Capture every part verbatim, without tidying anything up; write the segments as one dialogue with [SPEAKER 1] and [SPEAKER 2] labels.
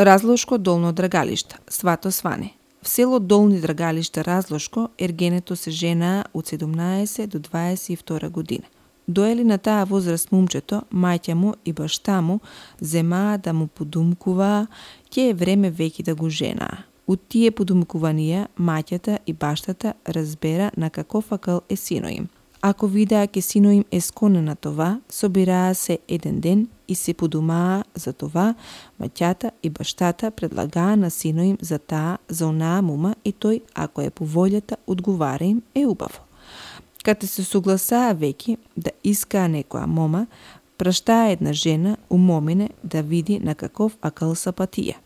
[SPEAKER 1] Разлошко долно Драгалиште, Свато Сване. В село Долни Драгалиште Разлошко ергенето се женаа од седумнаесет до дваесет и втора година. Доели на таа возраст момчето, мајќа му и башта му земаа да му подумкуваа, ќе е време веќе да го женаа. Од тие подумкуванија, маќата и баштата разбера на каков акъл е сино им. Ако видеа ке сино им е склонен на това, собираа се еден ден и се подумаа за това, маќата и баштата предлагаа на сино им за таа, за онаа мума и тој, ако е по волјата, одговара им е убаво. Кате се согласаа веќе да искаа некоја мома, праштаа една жена у момине да види на каков акъл са патија.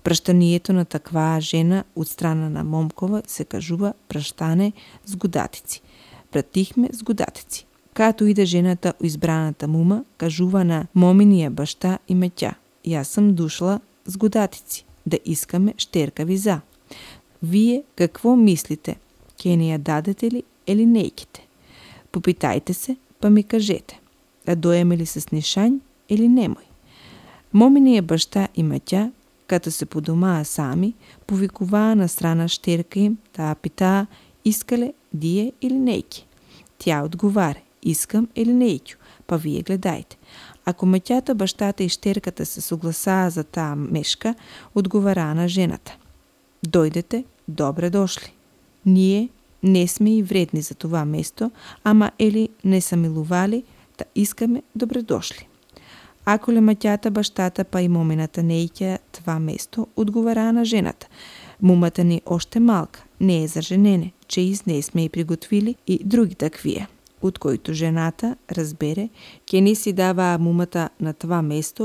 [SPEAKER 1] Праштанието на такваа жена од страна на момкова се кажува праштане с годатици. Пратихме с годатици. Като иде жената у избраната мума, кажува на моминија башта и маќа: јас сум дошла с годатици, да искаме штерка за. Вие какво мислите? Ке не ја дадете ли или неќете? Попитајте се, па ми кажете. Да доеме ли се снишањ или немој? Моминија башта и маќа, като се подумаа сами, повикуваа на страна штерка им, таа питаа: искале дие или неќе? Тја одговаре: искам или неќу, па вие гледајте. Ако маќата, баштата и штерката се согласаа за таа мешка, одговараа на жената: дојдете, добре дошли. Ние не сме и вредни за това место, ама ели не са милували, да искаме добре дошли. Ако ле маќата, баштата па и момината не иќа това место, одговараа на жената: мумата ни оште малка, не е за женене, че из не сме и приготвили и други таквија. Од којто жената разбере, ке ни си даваа мумата на това место